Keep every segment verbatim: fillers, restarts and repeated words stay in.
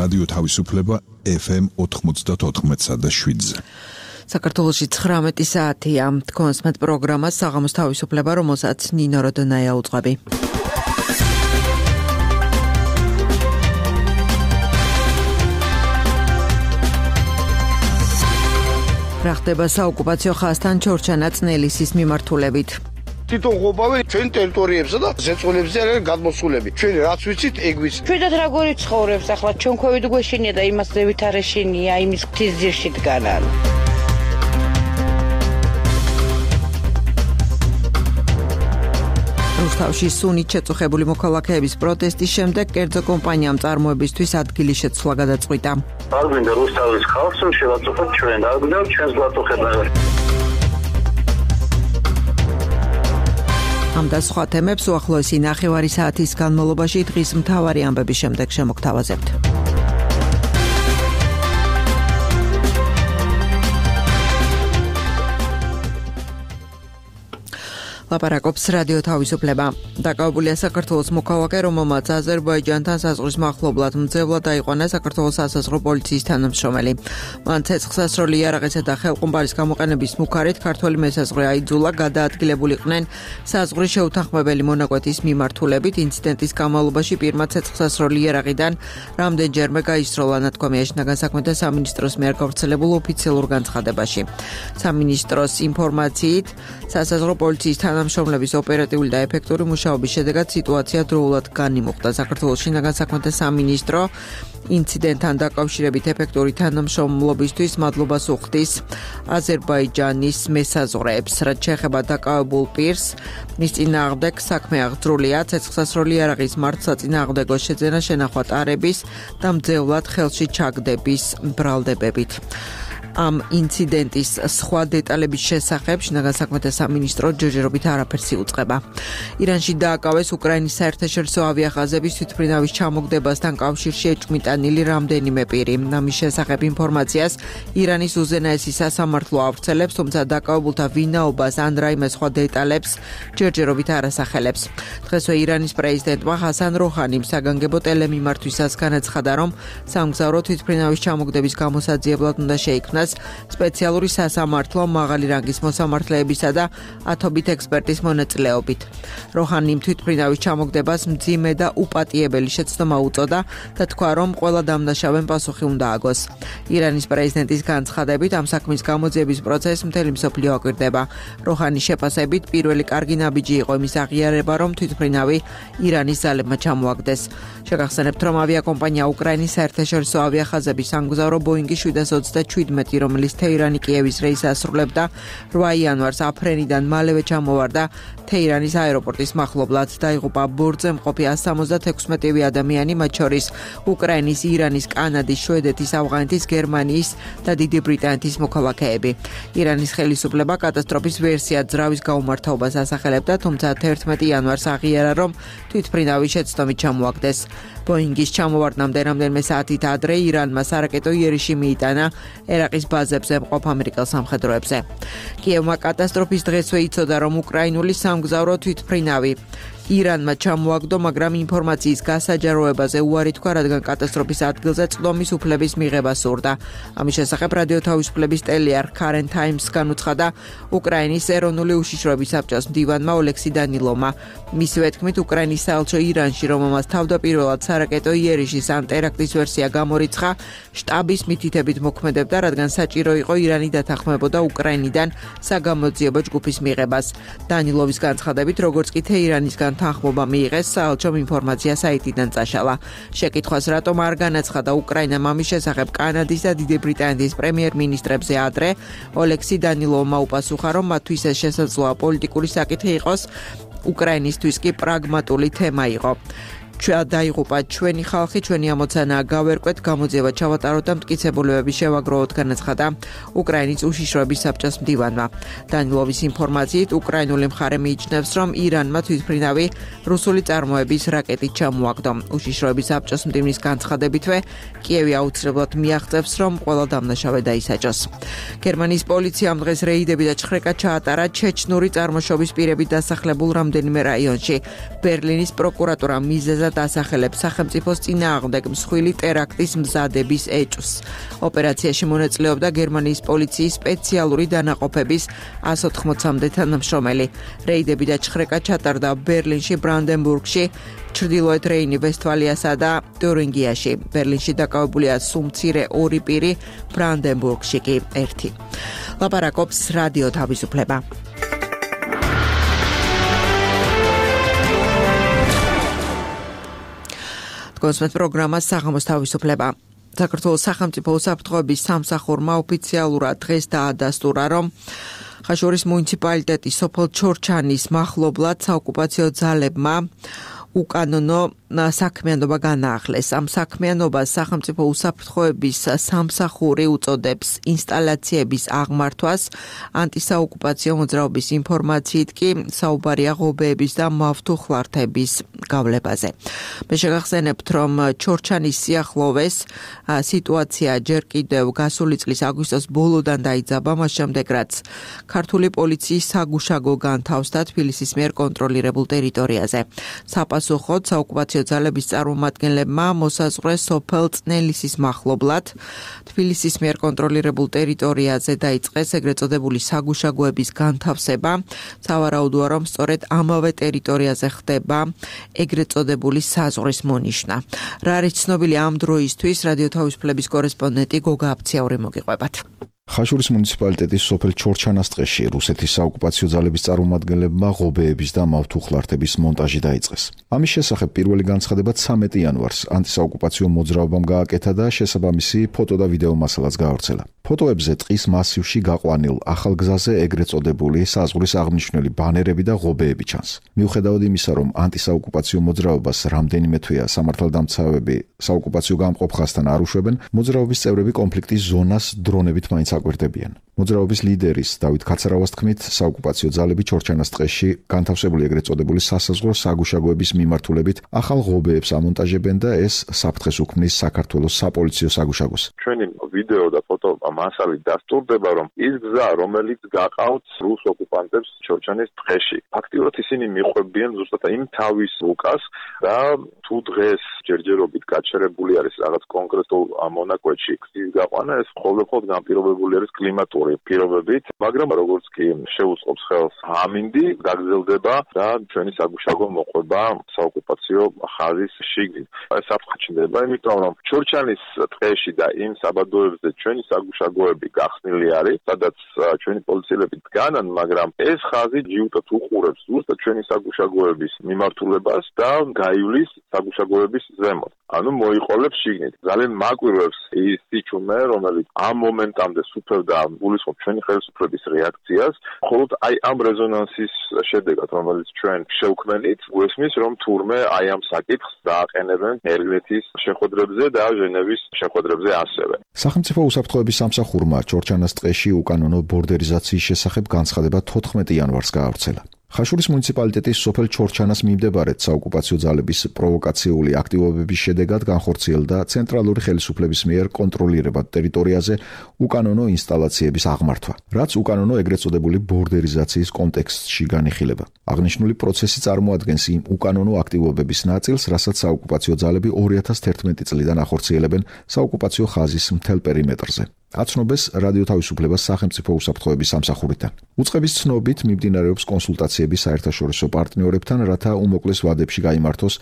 რადიო თავისუფლება ეფ ემ ოთხმოცდაოთხ და შვიდზე. საქართველოში ცხრამეტი საათია. თქვენს მეტ პროგრამას საღამოს თავისუფლება, რომელსაც ნინო როდონაია უძღვები. რა ხდება საოკუპაციო ხაზთან ჩორჩანა წნელისის მიმართულებით? თვითონ ყოფავი ჩვენ ტერიტორიებსა და ზეწოლებზე არის გადმოსულები. ჩვენ რაც ვიცით, ეგ ვიცით. ჩვენად როგორი ცხოვრობს ახლა ჩვენ ქვევით გვეშინია და იმას ზევით არ ეშინია, იმის ღვთის ძირში დგანან. რუსთავში სუნით შეწუხებული მოქალაქეების პროტესტის შემდეგ კერძო კომპანიამ წარმოებისთვის ადგილი შეცვლა გადაწყვიტა. არ გვინდა რუსთავის ხალხს შევაწუხოთ ჩვენ, არ გვინდა ჩვენს გვაწუხება. ამ და სხვა თემებს უახლოესი ნახევარი საათის განმავლობაში დღის მთავარი ამბების შემდეგ შემოგთავაზებთ. ლაპარაკობს რადიო თავისუფლება. დაკავებულია საქართველოს მოქალაქე, რომელმაც აზერბაიჯანთან საზღვრის მახლობლად მძევლად დაიყვანა საქართველოს სასაზღვრო პოლიციის თანამშრომელი. მან ცეცხლსასროლი იარაღისა და ხელყუმბარის გამოყენების მუქარით ქართველი მესაზღვრე აიძულა, გადაადგილებულიყვნენ საზღვრის შეუთანხმებელი მონაკვეთის მიმართულებით. ინციდენტის განმავლობაში პირმა ცეცხლსასროლი იარაღიდან რამდენჯერმე გაისროლა, ნათქვამია შინაგან საქმეთა სამინისტროს მიერ გავრცელებულ ოფიციალურ განცხადებაში. სამინისტროს ინფორმაციით, სასაზღვრო პოლიციის თანამშრომლების ოპერატიული და ეფექტური მუშაობის შედეგად სიტუაცია დროულად განიმუხტა. საქართველოს შინაგან საქმეთა სამინისტრო ინციდენტთან დაკავშირებით ეფექტური თანამშრომლობისთვის მადლობას უხდის აზერბაიჯანის მესაზღვრეებს. რაც შეეხება დაკავებულ პირს, მის წინააღმდეგ საქმე აღძრულია ცეცხლსასროლი იარაღის მართლსაწინააღმდეგო შეძენა, შენახვა ტარების და მძევლად ხელში ჩაგდების ბრალდებებით. ამ ინციდენტის სხვა დეტალების შესახებ შინაგან საქმეთა სამინისტრო ჯერჯერობით არაფერს იუწყება. ირანში დააკავეს უკრაინის საერთაშორისო ავიახაზების თვითმფრინავის ჩამოგდებასთან კავშირში ეჭვმიტანილი რამდენიმე პირი. ამის შესახებ ინფორმაციას ირანის უზენაესი სასამართლო ავრცელებს, თუმცა დაკავებულთა ვინაობას ან რაიმე სხვა დეტალებს ჯერჯერობით არ ასახელებს. დღესვე ირანის პრეზიდენტმა ჰასან როჰანიმ საგანგებო ტელემიმართვისას განაცხადა, რომ სამგზავრო თვითმფრინავის ჩამოგდების გამოსაძიებლად უნდა შეიქმნას სპეციალური სასამართლო მაღალი რანგის მოსამართლეებისა და ათობით ექსპერტის მონაწილეობით. როჰანიმ თვითმფრინავის ჩამოგდებას მძიმე და უპატიებელი შეცდომა უწოდა და თქვა, რომ ყველა დამნაშავემ პასუხი უნდა აგოს. ირანის პრეზიდენტის განცხადებით, ამ საქმის გამოძიების პროცესს მთელი მსოფლიო აკვირდება. როჰანის შეფასებით, პირველი კარგი ნაბიჯი იყო იმის აღიარება, რომ თვითმფრინავი ირანის ძალებმა ჩამოაგდეს. შეგახსენებთ, რომ ავიაკომპანია უკრაინის საერთაშორისო ავიახაზების სამგზავრო ბოინგი შვიდას ოცდაშვიდმეტი, რომელიც თეირანი კიევის რეისს ასრულებდა, რვა იანვარს აფრენიდან მალევე ჩამოვარდა თეირანის აეროპორტის მახლობლად. დაიღუპა ბორტზე მყოფი ასი ოცდაექვსი ადამიანი, მათ შორის უკრაინის, ირანის, კანადის, შვედეთის, ავღანეთის, გერმანიის და დიდი ბრიტანეთის მოქალაქეები. ირანის ხელისუფლება კატასტროფის ვერსიად ძრავის გაუმართავობას ასახელებდა, თუმცა თერთმეტი იანვარს აღიარა, რომ თვითმფრინავი შეცდომით ჩამოაგდეს. ბოინგის ჩამოვარდნამდე რამდენიმე საათით ადრე ირანმა სარაკეტო იერიში მიიტანა ერაყის ბაზებზე მყოფ ამერიკელ სამხედროებზე. კიევმა კატასტროფის დღესვე იცოდა, რომ უკრაინული სამგზავრო თვითმფრინავი ირანმა ჩამოაგდო, მაგრამ ინფორმაციის გასაჯაროებაზე უარი თქვა, რადგან კატასტროფის ადგილზე წვდომის უფლების მიღება სურდა. ამის შესახებ რადიო თავისუფლების ტელეარხ ქარენ ტაიმს განუცხადა უკრაინის ეროვნული უშიშროების საბჭოს მდივანმა ოლექსი დანილოვმა. მისივე თქმით, უკრაინის საელჩო ირანში, რომელმაც თავდაპირველად სარაკეტო იერიშის ან ტერაქტის ვერსია გამორიცხა, შტაბის მითითებით მოქმედებდა, რადგან საჭირო იყო ირანი დათანხმებოდა უკრაინიდან საგამოძიებო ჯგუფის მიღებას. დანილოვის განცხადებით, როგორც კი თეირანისგან თანხმობა მიიღეს, საელჩომ ინფორმაცია საიტიდან წაშალა. შეკითხვას რატომ არ განაცხადა უკრაინამ ამის შესახებ კანადის და დიდი ბრიტანეთის პრემიერ-მინისტრებზე ადრე, ოლექსი დანილოვმა უპასუხა, რომ მათთვის ეს შესაძლოა პოლიტიკური საკითხი იყოს, უკრაინისთვის კი პრაგმატული თემა იყო. დაიღუპა ჩვენი ხალხი, ჩვენი ამოცანაა გავერკვეთ, გამოძიება ჩავატაროთ და მტკიცებულებები შევაგროვოთ, განაცხადა უკრაინის უშიშროების საბჭოს მდივანმა. დანილოვის ინფორმაციით, უკრაინული მხარე მიიჩნევს, რომ ირანმა თვითმფრინავი რუსული წარმოების რაკეტით ჩამოაგდო. უშიშროების საბჭოს მდივნის განცხადებითვე, კიევი აუცილებლად მიაღწევს, რომ ყველა დამნაშავე დაისაჯოს. გერმანიის პოლიციამ დღეს რეიდები და ჩხრეკა ჩაატარა ჩეჩნური წარმოშობის პირებით დასახლებულ რამდენიმე რაიონში. ბერლინის პროკურატურა მიზეზად ხშირად ასახელებს სახელმწიფოს წინააღმდეგ მსხვილი ტერაქტის მზადების ეჭვს. ოპერაციაში მონაწილეობდა გერმანიის პოლიციის სპეციალური დანაყოფების ას ოთხმოცამდე თანამშრომელი. რეიდები და ჩხრეკა ჩატარდა ბერლინში, ბრანდენბურგში, ჩრდილოეთ რეინი-ვესტფალიასა და თურინგიაში. ბერლინში დაკავებულია სუმცირე ორი პირი, ბრანდენბურგში კი ერთი. ლაპარაკობს რადიო თავისუფლება. კონსმეთ პროგრამას საღამოს თავისუფლება. საქართველოს სახელმწიფო უსაფრთხოების სამსახურმა ოფიციალურად დღეს დაადასტურა, რომ ხაშურის მუნიციპალიტეტის სოფელ ჩორჩანის მახლობლად საოკუპაციო ძალებმა უკანონო საქმიანობა განაახლეს. ამ საქმიანობას სახელმწიფო უსაფრთხოების სამსახური უწოდებს ინსტალაციების აღმართვას. ანტისაოკუპაციო მოძრაობის ინფორმაციით კი საუბარია ღობეების და მავთუხლართების გავლებაზე. მე შეგახსენებთ, რომ ჩორჩანის სიახლოვეს სიტუაცია ჯერ კიდევ გასული წლის აგვისტოს ბოლოდან დაიძაბა, მას შემდეგ რაც ქართული პოლიციის საგუშაგო განთავსდა თბილისის მიერ კონტროლირებულ ტერიტორიაზე. საპასუხოდ საოკუპაციო ძალების წარმომადგენლებმა მოსაზღვრეს სოფელ წნელისის მახლობლად თბილისის მიერ კონტროლირებულ ტერიტორიაზე დაიწყეს ეგრეთ წოდებული საგუშაგოების განთავსება. სავარაუდოა, რომ სწორედ ამავე ტერიტორიაზე ხდება ეგრეთ წოდებული საზღვრის მონიშნა. რა არის ცნობილი ამ დროისთვის, რადიო თავისუფლების კორესპონდენტი გოგა აფციაური მოგიყვებათ. ხაშურის მუნიციპალიტეტის სოფელ ჩორჩანას ტყეში რუსეთის საოკუპაციო ძალების წარმომადგენლებმა ღობეების და მავთუხლართების მონტაჟი დაიწყეს. ამის შესახებ პირველი განცხადება ცამეტი იანვარს ანტისაოკუპაციო მოძრაობამ გააკეთა და შესაბამისი ფოტო და ვიდეო მასალაც გაავრცელა. ფოტოებზე ტყის მასივში გაყვანილ ახალ გზაზე ეგრეთ წოდებული საზღვრის აღნიშნული ბანერები და ღობეები ჩანს. მიუხედავად იმისა, რომ ანტისაოკუპაციო მოძრაობას რამდენიმე თვეა სამართალდამცავები საოკუპაციო გამყოფ ხაზთან არ უშვებენ, მოძრაობის წევრები კონფლიქტის ზონას დრონებით მაინც აკვირდებიან. მოძრაობის ლიდერის დავით ქაცარავას თქმით, საოკუპაციო ძალები ჩორჩანას ტყეში განთავსებული ეგრეთ წოდებული სასაზღვრო საგუშაგოების მიმართულებით ახალ ღობეებს ამონტაჟებენ და ეს საფრთხეს უქმნის საქართველოს საპოლიციო საგუშაგოს. ჩვენი ვიდეო და ფოტო მასალით დასტურდება, რომ ის გზა, რომელიც გაყავთ რუს ოკუპანტებს ჩორჩანის ტყეში, ფაქტიურად ისინი მიყვებიან ზუსტად იმ თავის რუკას და თუ დღეს ჯერჯერობით გაჩერებული არის რაღაც კონკრეტულ მონაკვეთში გზის გაყვანა, ეს ყოველდღიურად განპირობებული არის კლიმატური პირობებით, მაგრამ როგორც კი შეუწყობს ხელს ამინდი, გაგრძელდება და ჩვენი საგუშაგო მოყვება საოკუპაციო ხაზის შიგნით. ეს საფრთხეჩნდება, იმიტომ რომ ჩორჩანის ტყეში და იმ საბადოებზე ჩვენი საგუშაგოები გახსნილი არის, სადაც ჩვენი პოლიციელები დგანან, მაგრამ ეს ხაზი ჯიუტად უყურებს ზუსტად ჩვენი საგუშაგოების მიმართულებას და გაივლის საგუშაგოების ზემოთ. ანუ მოიყოლებს შიგნით. ძალიან მაკვირვებს ის სიჩუმე, რომელიც ამ მომენტამდე სუფევდა გულისხმობ ჩვენი ხელისუფლების რეაქციას, მხოლოდ აი ამ რეზონანსის შედეგად, რომელიც ჩვენ შევქმნით, გვესმის, რომ თურმე აი ამ საკითხს დააყენებენ ელვეთის შეხვედრებზე და ჟენევის შეხვედრებზე ასევე. სახელმწიფო უსაფრთხოების სამსახურმა ჩორჩანას ტყეში უკანონო ბორდერიზაციის შესახებ განცხადება თოთხმეტი იანვარს გაავრცელა. ხაშურის მუნიციპალიტეტის სოფელ ჩორჩანას მიმდებარედ საოკუპაციო ძალების პროვოკაციული აქტივობების შედეგად განხორციელდა ცენტრალური ხელისუფლების მიერ კონტროლირებად ტერიტორიაზე უკანონო ინსტალაციების აღმართვა, რაც უკანონო ეგრეთ წოდებული ბორდერიზაციის კონტექსტში განიხილება. აღნიშნული პროცესი წარმოადგენს იმ უკანონო აქტივობების ნაწილს, რასაც საოკუპაციო ძალები ორი ათას თერთმეტი წლიდან ახორციელებენ საოკუპაციო ხაზის მთელ პერიმეტრზე. აცნობეს რადიო თავისუფლებას სახელმწიფო უსაფრთხოების სამსახურიდან. უწყების ცნობით მიმდინარეობს კონსულტაციები საერთაშორისო პარტნიორებთან, რათა უმოკლეს ვადებში გაიმართოს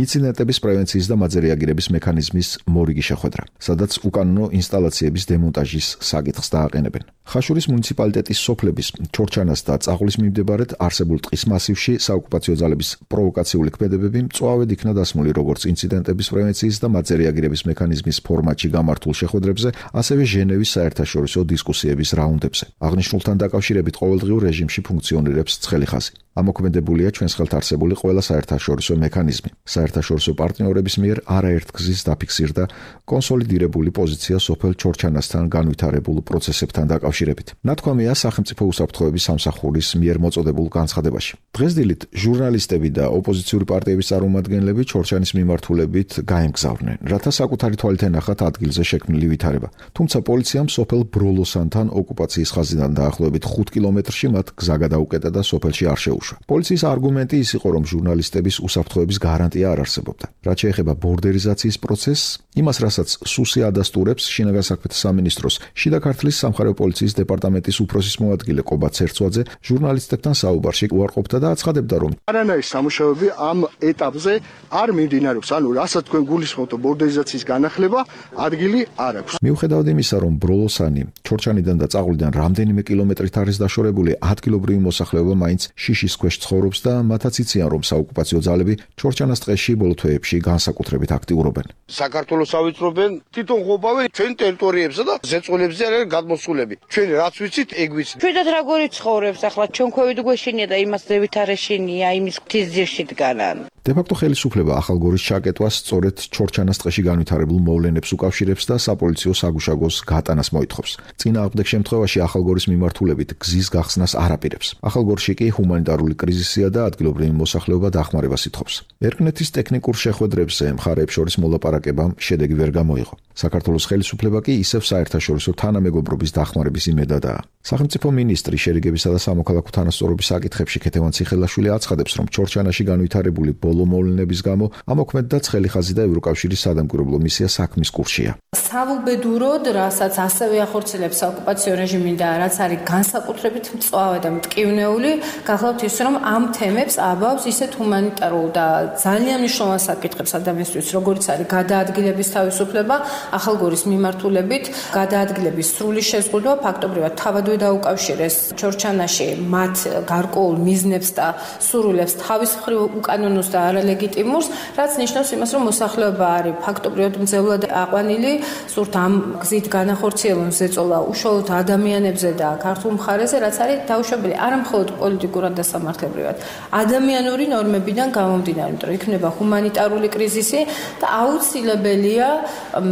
ინციდენტების პრევენციის და მათზე რეაგირების მექანიზმის მორიგი შეხვედრა, სადაც უკანონო ინსტალაციების დემონტაჟის საკითხს დააყენებენ. ხაშურის მუნიციპალიტეტის სოფლების ჩორჩანას და წაღლის მიმდებარედ არსებულ ტყის მასივში საოკუპაციო ძალების პროვოკაციული ქმედებები მწვავედ იქნა დასმული როგორც ინციდენტების პრევენციის და მათზე რეაგირების მექანიზმის ფორმატში გამართულ შეხვედრებზე, ასევე ჟენევის საერთაშორისო დისკუსიების რაუნდებზე. აღნიშნულთან დაკავშირებით ყოველდღიურ რეჟიმში ფუნქციონირებს ცხელი ხაზი. ამოქმედებულია ჩვენს ხელთ არსებული ყველა საერთაშორისო მექანიზმი. საერთაშორისო პარტნიორების მიერ არაერთგზის დაფიქსირდა კონსოლიდირებული პოზიცია სოფელ ჩორჩანასთან განვითარებულ პროცესებთან დაკავშირებით. ნათქვამია სახელმწიფო უსაფრთხოების სამსახურის მიერ მოწოდებულ განცხადებაში. დღესდილით ჟურნალისტები და ოპოზიციური პარტიების წარმომადგენლები ჩორჩანის მიმართულებით გაემგზავრნენ, რათა საკუთარი თვალით ენახათ ადგილზე შექმნილი ვითარება. თუმცა პოლიცია პოლიციამ სოფელ ბროლოსანთან ოკუპაციის ხაზიდან დაახლოებით ხუთ კილომეტრში მათ გზა გადაუკეტა და სოფელში არ შეუშვა. პოლიციის არგუმენტი ის იყო, რომ ჟურნალისტების უსაფრთხოების გარანტია არ არსებობდა. რაც შეეხება ბორდერიზაციის პროცესს, იმას, რასაც სუსი ადასტურებს, შინაგან საქმეთა სამინისტროს შიდა ქართლის სამხარეო პოლიციის დეპარტამენტის უფროსის მოადგილე კობა ცერცვაძე ჟურნალისტებთან საუბარში უარყოფდა და აცხადებდა, რომ არანაირი სამუშაოები ამ ეტაპზე არ მიმდინარეობს, ანუ რასაც თქვენ გულისხმობთ ბორდერიზაციის განახლება, ადგილი არ აქვს. მიუხედავად იმისა, რომ ბროლოსანი ჩორჩანიდან და წაღვლიდან რამდენიმე კილომეტრით არის დაშორებული, ადგილობრივი მოსახლეობა მაინც შიშის ქვეშ ცხოვრობს და მათაც იციან, რომ საოკუპაციო ძალები ჩორჩანას ტყეში ბოლო თვეებში განსაკუთრებით აქტიურობენ. საქართველოს ავიწრობენ თვითონ ყოფავენ ჩვენ ტერიტორიებსა და ზეწოლებზე არ არის გადმოსულები. ჩვენ რაც ვიცით, ეგ ვიცით. ჩვენად როგორი ცხოვრობს ახლა ჩვენ ქვევით გვეშინია და იმას დევით არ ეშინია, იმის ღვთის ძირში დგანან. დე-ფაქტო ხელისუფლება ახალგორის ჩაკეტვას სწორედ ჩორჩანას ტყეში განვითარებულ მოვლენებს უკავშირებს და საპოლიციო საგუშაგოს გატანას მოითხოვს. წინააღმდეგ შემთხვევაში ახალგორის მიმართულებით გზის გახსნას არ აპირებს. ახალგორში კი ჰუმანიტარული კრიზისია და ადგილობრივი მოსახლეობა დახმარებას ითხოვს. ერგნეთის ტექნიკურ შეხვედრებზე მხარეებს შორის მოლაპარაკებამ შედეგი ვერ გამოიღო. საქართველოს ხელისუფლება კი ისევ საერთაშორისო თანამეგობრობის დახმარების იმედადაა. სახელმწიფო მინისტრი შერიგებისა და სამოქალაქო თანასწორობის საკითხებში ქეთევან ციხელაშვილი აცხადებს, რომ ჩორჩანაში განვითარებული ბოლო მოვლენების გამო ამოქმედდა ცხელი ხაზი და ევროკავშირის სადამკვირვებლო მისია საქმის კურსშია. საუბედუროდ, რასაც ასევე ახორციელებს საოკუპაციო რეჟიმი და რაც არის განსაკუთრებით მწვავე და მტკივნეული, გახლავთ ის, რომ ამ თემებს აბავს ისეთ ჰუმანიტარულ და ძალიან მნიშვნელოვან საკითხებს ადამიანისთვის, როგორც არის გადაადგილების თავისუფლება, ახალგორის მიმართულებით გადაადგილების სრული შეზღუდვა, ფაქტობრივად თავადვე დაუკავშირეს ჩორჩანაში მათ გარკვეულ მიზნებს და სურვილებს თავის მხრივ უკანონოს და არალეგიტიმურს, რაც ნიშნავს იმას, რომ მოსახლეობა არის ფაქტობრივად მძევლად აყვანილი, სურთ ამ გზით განახორციელონ ზეწოლა უშუალოდ ადამიანებზე და ქართულ მხარეზე, რაც არის დაუშვებელი არა მხოლოდ პოლიტიკურად და სამართლებრივად, ადამიანური ნორმებიდან გამომდინარე, იმიტომ რომ იქნება ჰუმანიტარული კრიზისი და აუცილებელია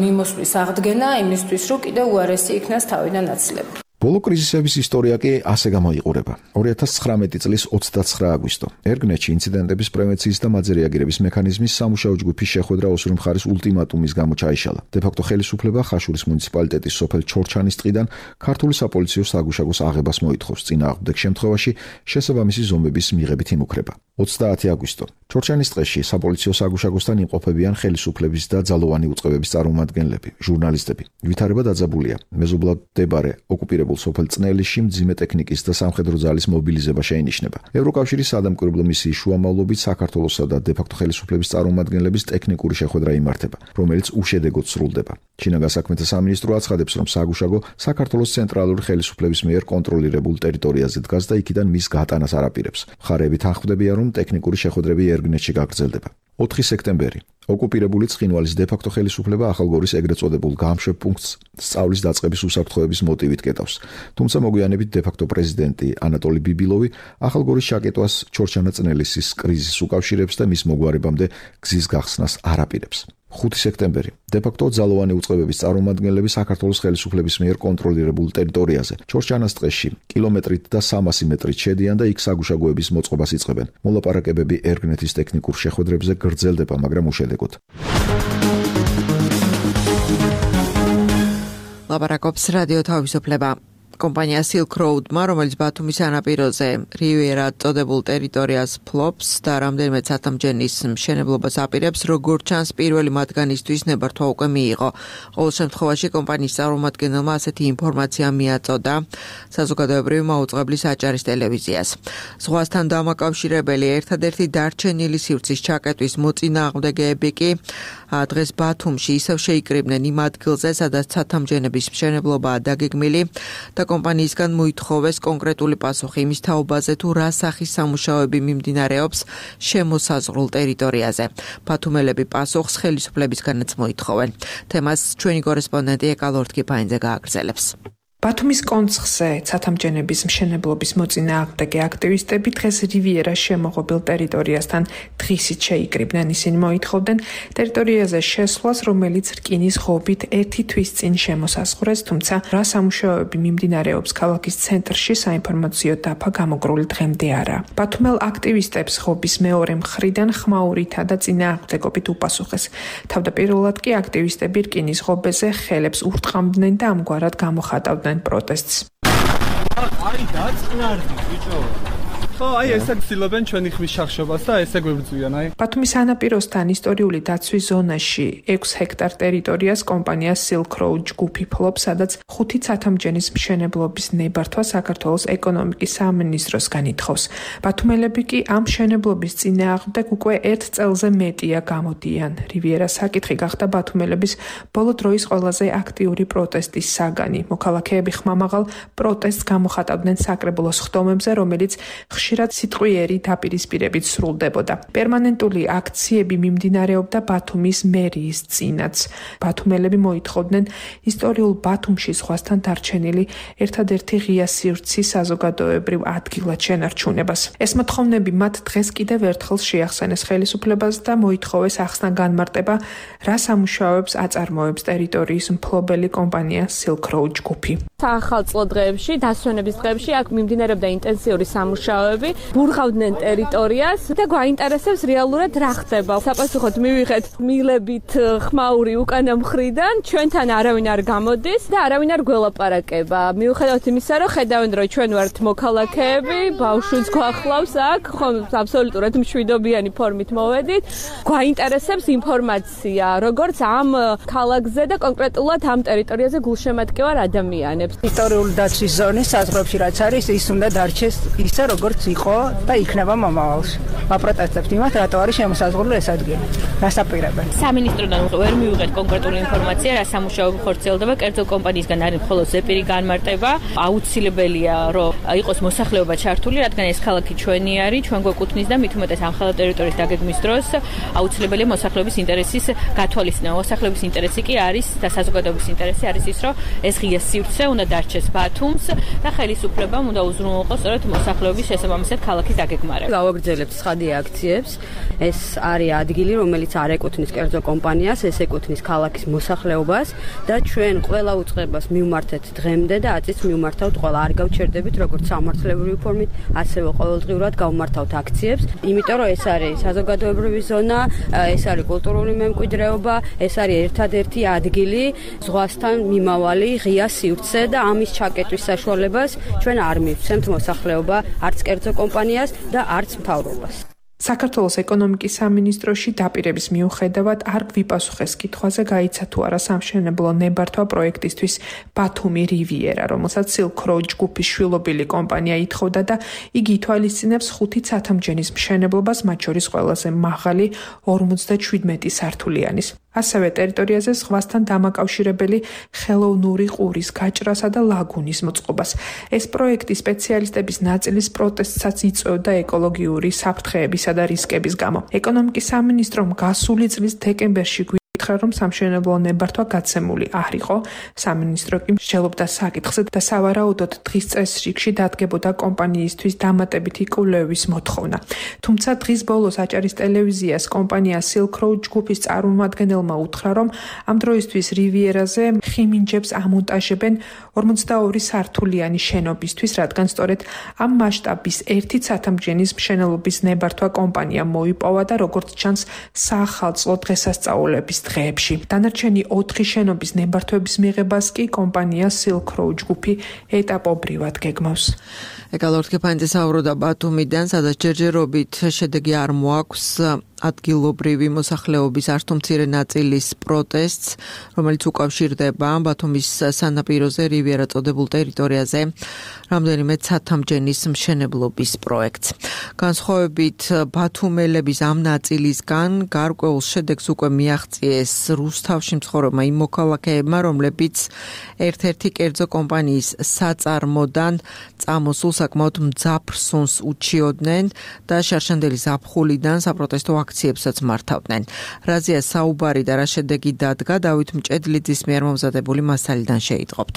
მიმოსვლის აღდგენა იმისთვის, რომ კიდევ უარესი იქნას თავიდან აცილება. ბოლო კრიზისების ისტორია კი ასე გამოიყურება. ორი ათას ცხრამეტი წლის ოცდაცხრა აგვისტო. ერგნეთში ინციდენტების პრევენციის და მაძე რეაგირების მექანიზმის სამუშაო ჯგუფის შეხვედრა ოსური მხარის ულტიმატუმის გამო ჩაიშალა. დე-ფაქტო ხელისუფლება ხაშურის მუნიციპალიტეტის სოფელ ჩორჩანის ტყიდან ქართული საპოლიციო საგუშაგოს აღებას მოითხოვს. წინააღმდეგ შემთხვევაში შესაბამისი ზომების მიღებით იმუქრება. ოცდაათი აგვისტო. ჩორჩანის ტყეში საპოლიციო საგუშაგოსთან იმყოფებიან ხელისუფლების და ძალოვანი უწყებების წარმომადგენლები, ჟურნალისტები. ვითარება დაძაბულია. მეზობლად მდებარე ოკუპირებულ სოფელ წნელიში მძიმე ტექნიკის და სამხედრო ძალის მობილიზება შეინიშნება. ევროკავშირის სადამკვირვებლო მისიის შუამავლობით საქართველოსა და დე-ფაქტო ხელისუფლების წარმომადგენლების ტექნიკური შეხვედრა იმართება, რომელიც უშედეგოდ სრულდება. შინაგან საქმეთა სამინისტრო აცხადებს, რომ საგუშაგო საქართველოს ცენტრალური ხელისუფლების მიერ კონტროლირებულ ტერიტორიაზე დგას და იქიდან მის გატანას არ აპირებს. მხარეები თანხმდებიან, რომ ტექნიკური შეხვედრები ერგნეთში გაგრძელდება. ოთხი სექტემბერი. ოკუპირებული ცხინვალის დე-ფაქტო ხელისუფლება ახალგორის ეგრეთ წოდებულ გამშვებ პუნქტს სწავლის დაწყების უსაფრთხოების მოტივით კეტავს. თუმცა მოგვიანებით დე-ფაქტო პრეზიდენტი ანატოლი ბიბილოვი ახალგორის ჩაკეტვას ჩორჩანა-წნელისის კრიზისს უკავშირებს და მის მოგვარებამდე გზის გახსნას არ აპირებს. ხუთი სექტემბერი. დე-ფაქტო ძალოვანი უწყებების წარმომადგენლები საქართველოს ხელისუფლების მიერ კონტროლირებულ ტერიტორიაზე, ჩორჩანას ტყეში, კილომეტრით და სამასი მეტრით შედიან და იქ საგუშაგოების მოწყობას იწყებენ. მოლაპარაკებები ერგნეთის ტექნიკურ შეხვედრებზე გრძელდება, მაგრამ უშედეგოდ. ლაპარაკობს რადიო თავისუფლება. კომპანია Silk Road-მა, რომელიც ბათუმის სანაპიროზე რივიერა წოდებულ ტერიტორიას ფლობს და რამდენიმე ცათამბჯენის მშენებლობას აპირებს, როგორც ჩანს, პირველი მათგანისთვის ნებართვა უკვე მიიღო. ყოველ შემთხვევაში კომპანიის წარმომადგენელმა ასეთი ინფორმაცია მიაწოდა საზოგადოებრივი მაუწყებლის აჭარის ტელევიზიას. ზღვასთან დამაკავშირებელი ერთადერთი დარჩენილი სივრცის ჩაკეტვის მოწინააღმდეგეები კი დღეს ბათუმში ისევ შეიკრიბნენ იმ ადგილზე, სადაც ცათამბჯენების მშენებლობაა დაგეგმილი და კომპანიისგან მოითხოვეს კონკრეტული პასუხი იმის თაობაზე, თუ რა სახის სამუშაოები მიმდინარეობს შემოსაზღვრულ ტერიტორიაზე. ბათუმელები პასუხს ხელისუფლებისგანაც მოითხოვენ. თემას ჩვენი კორესპონდენტი ეკალორთკიფაინძე გააგრძელებს. ბათუმის კონცხზე ცათამბჯენების მშენებლობის მოწინააღმდეგე აქტივისტები დღეს რივიერას შემოღობილ ტერიტორიასთან დღისით შეიკრიბნენ. ისინი მოითხოვდნენ ტერიტორიაზე შესვლას, რომელიც რკინის ღობით ერთი თვის წინ შემოსაზღვრეს, თუმცა რა სამუშაოები მიმდინარეობს ქალაქის ცენტრში, საინფორმაციო დაფა გამოგრული დღემდე არა. ბათუმელ აქტივისტებს ღობის მეორე მხრიდან ხმაურითა და წინააღმდეგობით უპასუხეს. თავდაპირველად კი აქტივისტები რკინის ღობეზე ხელებს ურტყამდნენ და ამგვარად გამოხატავდნენ პროტესტს. აი დაწყნარდი ბიჭო. ხო, აი ესე ცდილობენ ჩვენი ხმის შახშობას და ესე გვებრძვიან, აი. ბათუმის სანაპიროსთან ისტორიული დაცვის ზონაში ექვს ჰექტარ ტერიტორიას კომპანია Silk Road ჯგუფი ფლობს, სადაც ხუთი ცათამბჯენის მშენებლობის ნებართვა საქართველოს ეკონომიკის სამინისტროსგან ითხოვს. ბათუმელები კი ამ მშენებლობის წინააღმდეგ უკვე ერთ წელზე მეტია გამოდიან. რივიერას საკითხი გახდა ბათუმელების ბოლო დროის ყველაზე აქტიური პროტესტის საგანი. მოქალაქეები ხმამაღალ პროტესტს გამოხატავდნენ საკრებულოს ხდომებზე, რომელიც ხშირად სიტყვიერი დაპირისპირებით სრულდებოდა. პერმანენტული აქციები მიმდინარეობდა ბათუმის მერიის წინაც. ბათუმელები მოითხოვდნენ ისტორიულ ბათუმში ზღვასთან დარჩენილი ერთადერთი ღია სივრცის საზოგადოებრივ ადგილად შენარჩუნებას. ეს მოთხოვნები მათ დღეს კიდევ ერთხელ შეახსენეს ხელისუფლებას და მოითხოვეს ახსნა განმარტება, რა სამუშაოებს აწარმოებს ტერიტორიის მფლობელი კომპანია Silk Road ჯგუფი. საახალწლო დღეებში, დასვენების დღეებში აქ მიმდინარეობდა ინტენსიური სამუშაოები. ბურღავდნენ ტერიტორიას და გვაინტერესებს რეალურად რა ხდება. საპასუხოდ მივიღეთ მილებით ხმაური უკანა მხრიდან, ჩვენთან არავინ არ გამოდის და არავინ არ გველაპარაკება. მიუხედავად იმისა, რომ ხედავენ, რომ ჩვენ ვართ მოქალაქეები, ბავშვიც გვახლავს აქ, ხომ აბსოლუტურად მშვიდობიანი ფორმით მოვედით. გვაინტერესებს ინფორმაცია, როგორც ამ ქალაქზე და კონკრეტულად ამ ტერიტორიაზე გულშემატკივარ ადამიანებს. ისტორიული დაცვის ზონის საზღვრებში რაც არის, ის უნდა დარჩეს ისე, როგორც იყო და იქნება მომავალში. ვაპროტესტებთ იმას, რატო არის შემოსაზღვრული ეს ადგილი. რასაპირებენ? სამინისტროდან ვერ მივიღეთ კონკრეტული ინფორმაცია, რა სამუშაოები ხორციელდება. კერძო კომპანიისგან არის მხოლოდ ზეპირი განმარტება. აუცილებელია, რომ იყოს მოსახლეობა ჩართული, რადგან ეს ქალაქი ჩვენი არის, ჩვენ გვეკუთვნის და მით უმეტეს ამ ხელა ტერიტორიის დაგეგმვის დროს აუცილებელია მოსახლეობის ინტერესის გათვალისწინება. მოსახლეობის ინტერესი კი არის და საზოგადოების ინტერესი არის ის, რომ ეს ღია სივრცე უნდა დარჩეს ბათუმს და ხელისუფლებამ უნდა უზრუნველყოს სწორედ მოსახლეობის შესაბამისად ქალაქის დაგეგმარება. გავაგრძელებთ ცხადი აქციებს. ეს არის ადგილი, რომელიც არ ეკუთვნის კერძო კომპანიას, ეს ეკუთვნის ქალაქის მოსახლეობას და ჩვენ ყველა უწყებას მივმართეთ დღემდე და აწიც მივმართავთ ყველა. არ გავჩერდებით როგორც სამართლებრივი ფორმით, ასევე ყოველდღიურად გავმართავთ აქციებს, იმიტომ რომ ეს არის საზოგადოებრივი ზონა, ეს არის კულტურული მემკვიდრეობა, ეს არის ერთადერთი ადგილი ზღვასთან მიმავალი ღია სივრცე და ამის ჩაკეტვის საშუალებას ჩვენ არ მივცემთ მოსახლეობა, არც კერძო კომპანიას და არც მთავრობას. საქართველოს ეკონომიკის სამინისტროში დაპირების მიუხედავად არ გვიპასუხეს კითხვაზე, გაიცა თუ არა სამშენებლო ნებართვა პროექტისთვის ბათუმი რივიერა, რომელსაც Silk Road ჯგუფის შვილობილი კომპანია ითხოვდა და იგი ითვალისწინებს ხუთი ცათამბჯენის მშენებლობას, მათ შორის ყველაზე მაღალი ორმოცდაშვიდმეტი სართულიანის. ასევე ტერიტორიაზე ზღვასთან დამაკავშირებელი ხელოვნური ყურის გაჭრასა და ლაგუნის მოწყობას. ეს პროექტი სპეციალისტების ნაწილის პროტესტსაც იწვევდა ეკოლოგიური საფრთხეებისა და რისკების გამო. ეკონომიკის სამინისტრომ გასული წლის დეკემბერში ითხრა, რომ სამშენებლო ნებართვა გაცემული არ იყო. სამინისტრო კი მსჯელობდა საკითხზე და სავარაუდოდ დღის წესრიგში დადგებოდა კომპანიისთვის დამატებითი კვლევის მოთხოვნა. თუმცა დღის ბოლოს აჭარის ტელევიზიას კომპანია Silk Road ჯგუფის წარმომადგენელმა უთხრა, რომ ამ დროისთვის რივიერაზე ხიმინჯებს ამონტაჟებენ ორმოცდაორი სართულიანი შენობისთვის, რადგან სწორედ ამ მასშტაბის ერთი ცათამბჯენის მშენებლობის ნებართვა კომპანიამ მოიპოვა და როგორც ჩანს საახალწლო დღესასწაულების დღეებში. დანარჩენი ოთხი შენობის ნებართვების მიღებას კი კომპანია Silk Road ჯგუფი ეტაპობრივად გეგმავს. ეკალორთქეფანიძე საუბრობდა ბათუმიდან, სადაც ჯერჯერობით შედეგი არ მოაქვს ადგილობრივი მოსახლეობის არც თუ მცირე ნაწილის პროტესტს, რომელიც უკავშირდება ბათუმის სანაპიროზე რივიერა წოდებულ ტერიტორიაზე რამდენიმე ცათამბჯენის მშენებლობის პროექტს. განსხვავებით ბათუმელების ამ ნაწილისგან გარკვეულ შედეგს უკვე მიაღწიეს რუსთავში მცხოვრებმა იმ მოქალაქეებმა, რომლებიც ერთ-ერთი კერძო კომპანიის საწარმოდან წამოსულ საკმაოდ მძაფრ სუნს უჩიოდნენ და შარშანდელი ზაფხულიდან საპროტესტო აქციებსაც მართავდნენ. რაზეა საუბარი და რა შედეგი დადგა, დავით მჭედლიძის მიერ მომზადებული მასალიდან შეიტყობთ.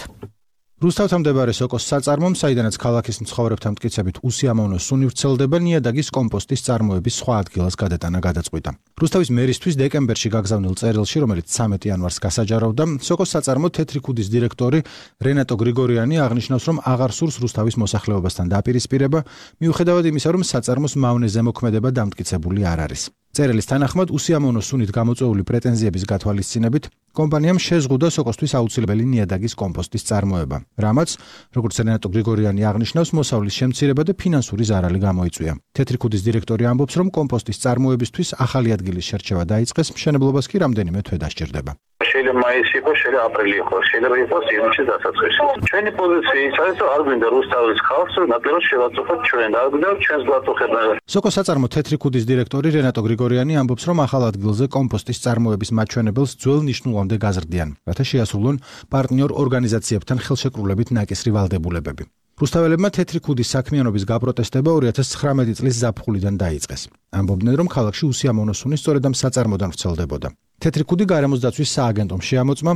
რუსთავთან მდებარე სოკოს საწარმომ, საიდანაც ქალაქის მცხოვრებთა მტკიცებით უსიამოვნო სუნი ვრცელდება, ნიადაგის კომპოსტის წარმოების სხვა ადგილას გადატანა გადაწყვიტა. რუსთავის მერისთვის დეკემბერში გაგზავნილ წერილში, რომელიც სამი იანვარს გასაჯარავდა, სოკოს საწარმო თეთრი ქუდის დირექტორი რენატო გრიგორიანი აღნიშნავს, რომ აღარ სურს რუსთავის მოსახლეობასთან დაპირისპირება, მიუხედავად იმისა, რომ საწარმოს მავნე ზემოქმედება დამტკიცებული არ არის. წერილის თანახმად, უსიამოვნო სუნით გამოწვეული პრეტენზიების გათვალისწინებით, კომპანიამ შეზღუდა სოკოსთვის აუცილებელი ნიადაგის კომპოსტის წარმოება, რამაც, როგორც რენატო გრიგორიანი აღნიშნავს, მოსავლის შემცირება და ფინანსური ზარალი გამოიწვია. თეთრი ქუდის დირექტორი ამბობს, რომ კომპოსტის წარმოებისთვის ახალი ადგილის შერჩევა დაიწყეს, მშენებლობას კი რამდენიმე თვე დასჭირდება. შეიძლება მაისი იყოს, შეიძლება აპრილი იყოს, შეიძლება იყოს ივნისის დასაწყისი. ჩვენი პოზიცია ის არის, რომ არ გვინდა რუსთავის ხალხს, ნაკლებად შევაწუხოთ ჩვენ, არ გვინდა ჩვენს გვაწუხება. სოკოს საწარმო თეთრი ქუდის დირექტორი რენატო გრიგორიანი ამბობს, რომ ახალ ადგილზე კომპოსტის წარმოების მაჩვენებელს ძველ ნიშნულამდე გაზრდიან, რათა შეასრულონ პარტნიორ ორგანიზაციებთან ხელშეკრულებით ნაკისრი ვალდებულებები. რუსთაველებმა თეთრი ქუდის საქმიანობის გაპროტესტება ორი ათას ცხრამეტი წლის ზაფხულიდან დაიწყეს. ამბობდნენ, რომ ქალაქში უსიამოვნო სუნი სწორედ ამ საწარმოდან ვრცელდებოდა. თეთრი ქუდი გარემოს დაცვის სააგენტომ შეამოწმა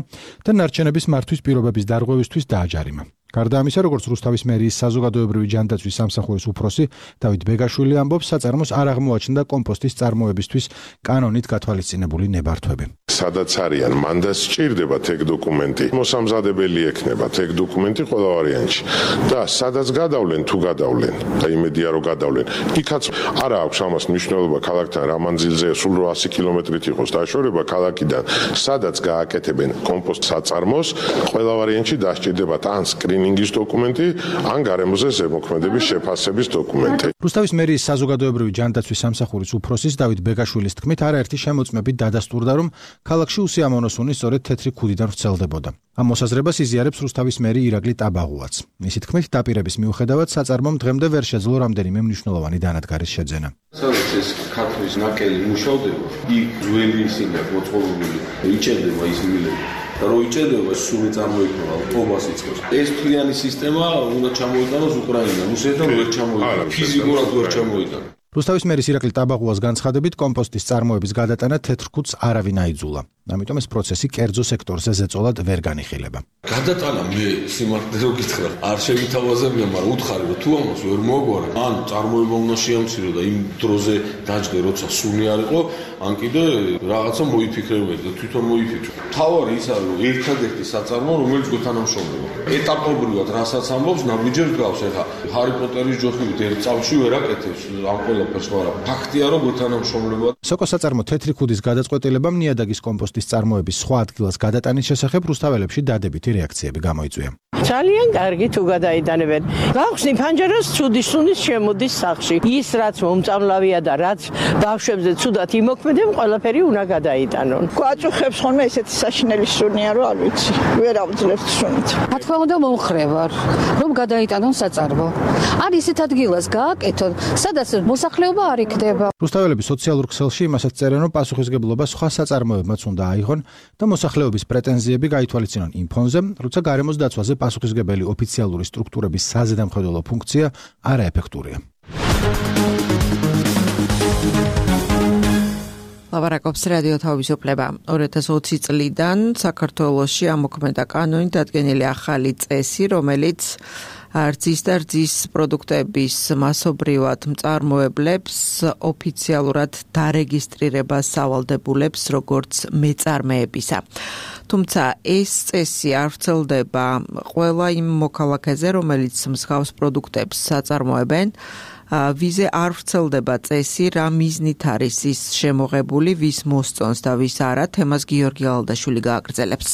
და ნარჩენების მართვის პირობების დარღვევისთვის დააჯარიმა. გარდა ამისა, როგორც რუსთავის მერიის საზოგადოებრივი ჯანდაცვის სამსახურის უფროსი დავით ბეგაშვილი ამბობს, საწარმოს არ აღმოაჩნდა კომპოსტის წარმოებისთვის კანონით გათვალისწინებული ნებართვები. სადაც არიან, მანდ სჭირდება თეგ დოკუმენტი, მოსამზადებელი ექნება თეგ დოკუმენტი ყველა ვარიანტში და სადაც გადავლენ თუ გადავლენ და იმედია რომ გადავლენ, იქაც არა აქვს ამას მნიშვნელობა ქალაქთან რა მანძილზე სულ რვაასი კილომეტრით იყოს დაშორება ქალაქიდან, სადაც გააკეთებენ კომპოსტ საწარმოს, ყველა ვარიანტში დასჭირდებათ ან სკრინინგის დოკუმენტი, ან გარემოზე ზემოქმედების შეფასების დოკუმენტი. რუსთავის მერიის საზოგადოებრივი ჯანდაცვის სამსახურის უფროსის დავით ბეგაშვილის თქმით, არაერთი შემოწმებით დადასტურდა, რომ ქალაქში უსიამოვნო სუნი სწორედ თეთრი ქუდიდან ვრცელდებოდა. ამ მოსაზრებას იზიარებს რუსთავის მერი ირაკლი ტაბაღუაც. მისი თქმით, დაპირების მიუხედავად საწარმომ დღემდე ვერ შეძლო რამდენიმე მნიშვნელოვანი დანადგარის შეძენა. სადაც ეს ქართლის ნაკელი მუშავდება, იქ ძველი ისინი მოწყობილი იჭერდება ის მილები. და რო იჭერდება სული წარმოიქმნება, ტობას იწყებს. ეს თლიანი სისტემა უნდა ჩამოიტანოს უკრაინიდან, რუსეთიდან ვერ ჩამოიტანა, ფიზიკურად ვერ ჩამოიტანა. რუსთავის მერის ირაკლი ტაბაღუას განცხადებით, კომპოსტის წარმოების გადატანა თეთრ ქუდს არავინ აიძულა. ამიტომ ეს პროცესი კერძო სექტორზე ზეწოლად ვერ განიხილება. გადატანა მე სიმართლე რო გითხრა, არ შევითავაზებია, მაგრამ უთხარი რომ თუ ამას ვერ მოგვარა, ან წარმოება უნდა შეამცირო და იმ დროზე დაჯდე, როცა სული არ იყო, ან კიდე რაღაცა მოიფიქრებოდი და თვითონ მოიფიქრე. თავარი ის არის, რომ ერთადერთი საწარმო, რომელიც გვეთანამშრომლება. ეტაპობრივად რასაც ამბობს, ნაბიჯერ გავს, ეხა ჰარი პოტერის ჯოხებით ერთ წამში ვერ აკეთებს ამ ყველაფერს, მაგრამ ფაქტია, რომ გვეთანამშრომლება. სოკოს საწარმო თეთრი ქუდის გადაწყვეტილებამ ნიადაგის კომპოსტის წარმოების სხვა ადგილას გადატანის შესახებ რუსთაველებში დადებითი რეაქციები გამოიწვია. ძალიან კარგი თუ გადაიტანებენ. გავხსნი ფანჯარას ცუდი სუნის შემოდის სახში. ის რაც მომწამლავია და რაც ბავშვებზე ცუდად იმოქმედებს, ყველაფერი უნდა გადაიტანონ. გვაწუხებს ხოლმე ესეთი საშინელი სუნია, რომ არ ვიცი. ვერ ავძლევთ სუნით. რა თქმა უნდა მომხრევარ, რომ გადაიტანონ საწარმო. არ ისეთ ადგილას გააკეთონ, სადაც მოსახლეობა არ იქნება. რუსთაველები სოციალურ ქსელში იმასაც წერენ, რომ პასუხისგებლობა სხვა საწარმოებმაც უნდა აიღონ და მოსახლეობის პრეტენზიები გაითვალისწინონ იმ ფონზე, როცა გარემოს დაცვაზე პასუხისგებელი ოფიციალური სტრუქტურების საზედამხედველო ფუნქცია არაეფექტურია. ლაპარაკობს რადიო თავისუფლება. ორი ათას ოცი წლიდან საქართველოში ამოქმედა კანონით დადგენილი ახალი წესი, რომელიც რძის და რძის პროდუქტების მასობრივად მწარმოებლებს ოფიციალურად დარეგისტრირებას სავალდებულებს როგორც მეწარმეებისა. თუმცა ეს წესი არ ვრცელდება ყველა იმ მოქალაქეზე, რომელიც მსგავს პროდუქტებს საწარმოებენ. ვიზე არ ვრცელდება წესი, რა მიზნით არის ის შემოღებული, ვის მოსწონს და ვის არა, თემას გიორგი ალდაშვილი გააგრძელებს.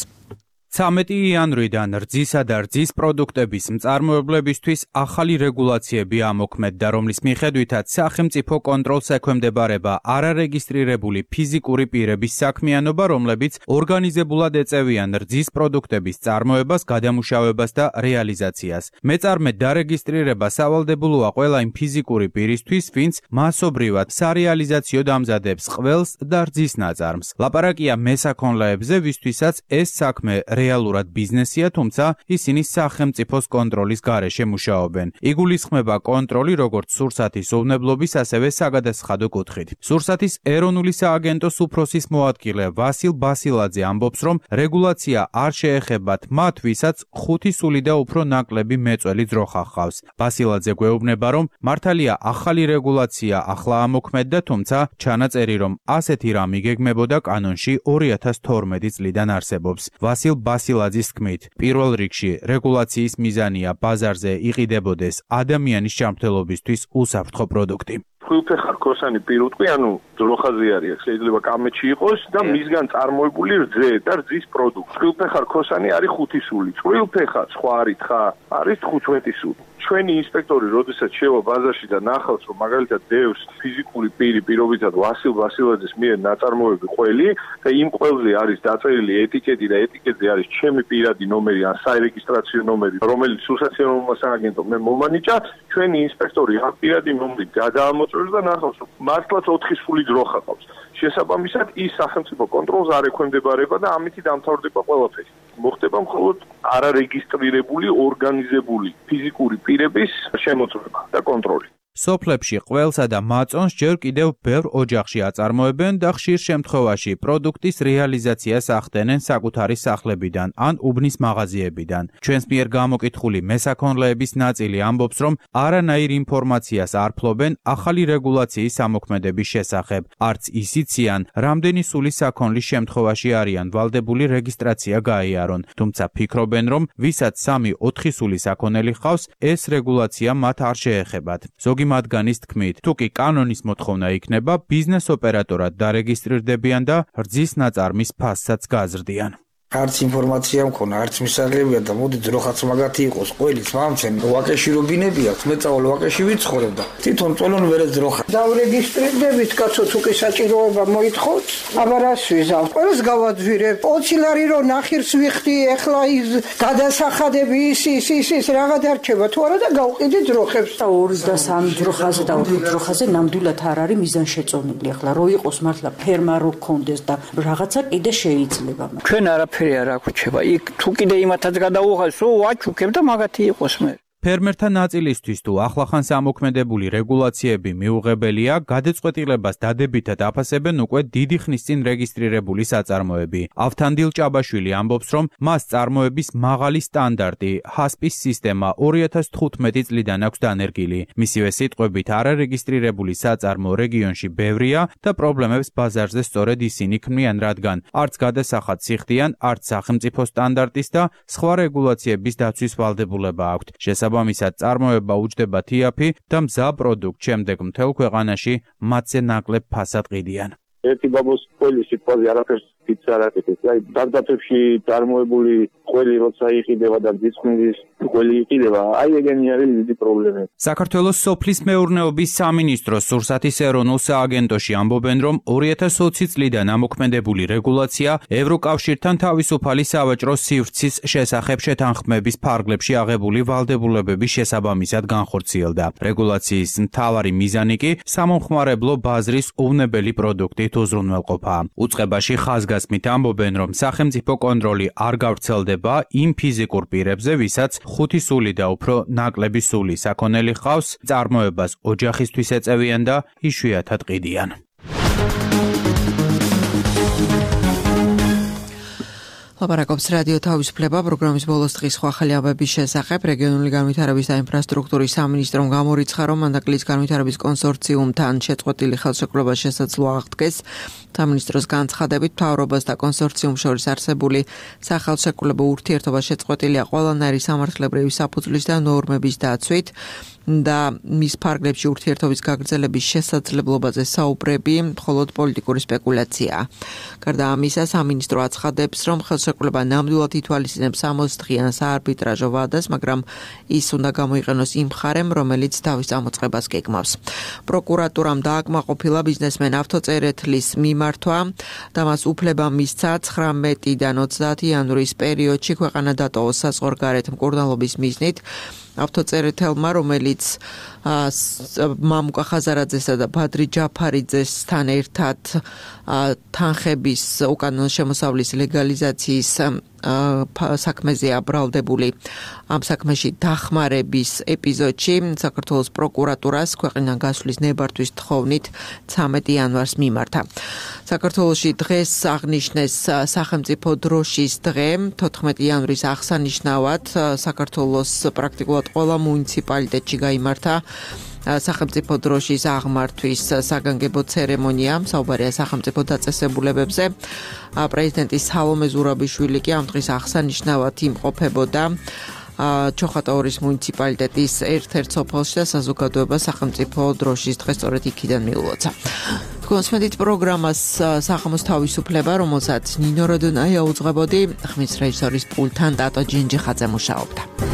ცამეტი იანვრიდან რძისა და რძის პროდუქტების მწარმოებლებისთვის ახალი რეგულაციები ამოქმედდა, რომლის მიხედვითაც სახელმწიფო კონტროლს ექვემდებარება არარეგისტრირებული ფიზიკური პირების საქმიანობა, რომლებიც ორგანიზებულად ეწევიან რძის პროდუქტების წარმოებას, გადამუშავებას და რეალიზაციას. მეწარმე დარეგისტრირება სავალდებულოა ყველა იმ ფიზიკური პირისთვის, ვინც მასობრივად სარეალიზაციო დამზადებს ყველს და რძის ნაწარმს. ლაპარაკია მესაქონლეებზე, ვისთვისაც ეს საქმე რეალურად ბიზნესია, თუმცა ისინი სახელმწიფოს კონტროლის გარეშე მუშაობენ. იგულისხმება კონტროლი როგორც სურსათის უვნებლობის, ასევე საგადასახადო კუთხით. სურსათის ეროვნული სააგენტოს უფროსის მოადგილე ვასილ ბასილაძე ამბობს, რომ რეგულაცია არ შეეხებათ მათ, ვისაც ხუთი სული და უფრო ნაკლები მეწველი ძროხა ჰყავს. ბასილაძე გვეუბნება, რომ მართალია ახალი რეგულაცია ახლა ამოქმედდა, თუმცა ჩანაწერი, რომ ასეთი რამ იგეგმებოდა კანონში ორი ათას თორმეტი წლიდან არსებობს. ვასილ ბასილაძის თქმით, პირველ რიგში რეგულაციის მიზანია ბაზარზე იყიდებოდეს ადამიანის ჯანმრთელობისთვის უსაფრთხო პროდუქტი. ხვილფეხარ ქოსანი პირუტყვი, ანუ ძროხაზე არის, შეიძლება კამეჩი იყოს და მისგან წარმოებული რძე და რძის პროდუქტი. ხვილფეხარ ქოსანი არის ხუთი სული. წყვილფეხა სხვა არის თხა, არის თხუთმეტი სული. ჩვენი ინსპექტორი, როდესაც შევა ბაზარში და ნახავს, რომ მაგალითად დევს ფიზიკური პირი პირობითად ვასილ ბასილაძის მიერ ნაწარმოები ყველი და იმ ყველზე არის დაწერილი ეტიკეტი და ეტიკეტზე არის ჩემი პირადი ნომერი ან საერეგისტრაციო ნომერი, რომელიც სურსათიანობა სააგენტო მე მომანიჭა, ჩვენი ინსპექტორი ამ პირადი ნომრით გადაამოწევს და ნახავს, რომ მართლაც ოთხი სული ძროხა ყავს. შესაბამისად, ის სახელმწიფო კონტროლს არ ექვემდებარება და ამით დამთავრდება ყველაფერი. მოხდება მხოლოდ არარეგისტრირებული ორგანიზებული ფიზიკური პირების შემოწმება და კონტროლი. სოფლებში ყველსა და მაწონს ჯერ კიდევ ბევრ ოჯახში აწარმოებენ და ხშირ შემთხვევაში პროდუქტის რეალიზაციას ახდენენ საკუთარი სახლებიდან ან უბნის მაღაზიებიდან. ჩვენს მიერ გამოკითხული მესაქონლეების ნაწილი ამბობს, რომ არანაირ ინფორმაციას არ ფლობენ ახალი რეგულაციის ამოქმედების შესახებ. არც ისიციან, რამდენი სული საქონლის შემთხვევაში არიან ვალდებული რეგისტრაცია გაიარონ, თუმცა ფიქრობენ, რომ ვისაც სამი ოთხი სული საქონელი ჰყავს, ეს რეგულაცია მათ არ შეეხებათ. ზოგი მათგანის თქმით, თუ კი კანონის მოთხოვნა იქნება, ბიზნეს ოპერატორად დარეგისტრირდებიან და რძის ნაწარმის ფასსაც გაზრდიან. არც ინფორმაცია მქონა, არც მისაღებია და მოდი ძროხაც მაგათი იყოს, ყველის მამცენ ვაკეში რობინები აქვს, მე წავალ ვაკეში ვიცხოვრებ და თვითონ წოლონ ვერე ძროხა. დავრეგისტრირდებით, კაცო, თუ კი საჭიროება მოითხოვთ, აბა რას ვიზავ? ყველას გავაძვირებ. ოცი ლარი რო ნახირს ვიხდი, ეხლა ის გადასახადები ის ის ის ის რაღა დარჩება, თუ არა და გავყიდი ძროხებს. ორი და სამი ძროხაზე და ოთხი ძროხაზე ნამდვილად არ არის მიზანშეწონილი. ეხლა რო იყოს მართლა ფერმა რო გქონდეს და რაღაცა კიდე შეიძლება. ჩვენ არა ფერი არ აგვიჩება. იქ თუ კიდე იმათაც გადაუღალს, ო ვაჩუქებ და მაგათი იყოს მე. ფერმერთა ნაწილისთვის თუ ახლახანს ამოქმედებული რეგულაციები მიუღებელია, გადაწყვეტილებას დადებითად აფასებენ უკვე დიდი ხნის წინ რეგისტრირებული საწარმოები. ავთანდილ ჭაბაშვილი ამბობს, რომ მას წარმოების მაღალი სტანდარტი, ჰასპის სისტემა ორი ათას თხუთმეტი წლიდან აქვს დანერგილი. მისივე სიტყვებით, არარეგისტრირებული საწარმო რეგიონში ბევრია და პრობლემებს ბაზარზე სწორედ ისინი ქმნიან, რადგან არც გადასახადს იხდიან, არც სახელმწიფო სტანდარტის და სხვა რეგულაციების დაცვის ვალდებულება აქვთ. შესაბამისად, წარმოება უჯდება თიაფი და მზა პროდუქტ შემდეგ მთელ ქვეყანაში მათზე ნაკლებ ფასად ყიდიან. ერთი ბაბოს ყველი სიტყვაზე არაფერს ფიცს არ აკეთებს. აი, დარდაფებში წარმოებული ყველი როცა იყიდება და ძისხმის ყველი იყიდება, აი ეგენი არის დიდი პრობლემა. საქართველოს სოფლის მეურნეობის სამინისტროს სურსათის ეროვნულ სააგენტოში ამბობენ, რომ ორი ათას ოცი წლიდან ამოქმედებული რეგულაცია ევროკავშირთან თავისუფალი სავაჭრო სივრცის შესახებ შეთანხმების ფარგლებში აღებული ვალდებულებების შესაბამისად განხორციელდა. რეგულაციის მთავარი მიზანი კი სამომხმარებლო ბაზრის უვნებელი პროდუქტით უზრუნველყოფა. უწყებაში ხაზგასმით ამბობენ, რომ სახელმწიფო კონტროლი არ გავრცელდება იმ ფიზიკურ პირებზე, ვისაც ხუთი სული და უფრო ნაკლები სული საქონელი ჰყავს, წარმოებას ოჯახისთვის ეწევიან და იშვიათად ყიდიან. ლაპარაკობს რადიო თავისუფლება პროგრამის ბოლოს დღის სხვა ხალხების შესახებ. რეგიონული განვითარების და ინფრასტრუქტურის სამინისტრომ გამორიცხა, რომ მანდაკლის განვითარების კონსორციუმთან შეწყვეტილი ხელშეკრულება შესაძლოა აღდგეს. სამინისტროს განცხადებით, მთავრობას და კონსორციუმს შორის არსებული სახელშეკრულებო ურთიერთობა შეწყვეტილია ყველანაირი სამართლებრივი საფუძვლის და ნორმების დაცვით და მის ფარგლებში ურთიერთობის გაგრძელების შესაძლებლობაზე საუბრები მხოლოდ პოლიტიკური სპეკულაციაა. გარდა ამისა, სამინისტრო აცხადებს, რომ ხელშეკრულება ნამდვილად ითვალისწინებს სამოცი დღიან საარბიტრაჟო ვადას, მაგრამ ის უნდა გამოიყენოს იმ მხარემ, რომელიც თავის წამოწყებას გეგმავს. პროკურატურამ დააკმაყოფილა ბიზნესმენ ავტოწერეთლის მიმართვა და მას უფლება მისცა ცხრამეტიდან ოცდაათი იანვრის პერიოდში ქვეყანა დატოვოს საზღვარგარეთ მკურნალობის მიზნით. ავტოწერეთელმა, რომელიც მამუკა ხაზარაძესა და ბადრი ჯაფარიძესთან ერთად თანხების უკანონო შემოსავლის ლეგალიზაციის საქმეზეა ბრალდებული. ამ საქმეში დახმარების ეპიზოდში საქართველოს პროკურატურას ქვეყნიდან გასვლის ნებართვის თხოვნით ცამეტი იანვარს მიმართა. საქართველოში დღეს აღნიშნეს სახელმწიფო დროშის დღე, თოთხმეტი იანვრის აღსანიშნავად საქართველოს პრაქტიკულად ყველა მუნიციპალიტეტში გაიმართა სახელმწიფო დროშის აღმართვის საგანგებო ცერემონია, საუბარია სახელმწიფო დაწესებულებებზე. პრეზიდენტი სალომე ზურაბიშვილი კი ამ დღის აღსანიშნავად იმყოფებოდა ჩოხატაურის მუნიციპალიტეტის ერთ-ერთ სოფელში და საზოგადოება სახელმწიფო დროშის დღეს სწორედ იქიდან მიულოცა. კონსმედით პროგრამას სახმოს თავისუფლება, რომელსაც ნინო როდონაია უძღვებოდი, ხმის რეჟისორის პულტთან ტატო ჯინჯიხაძე მუშაობდა.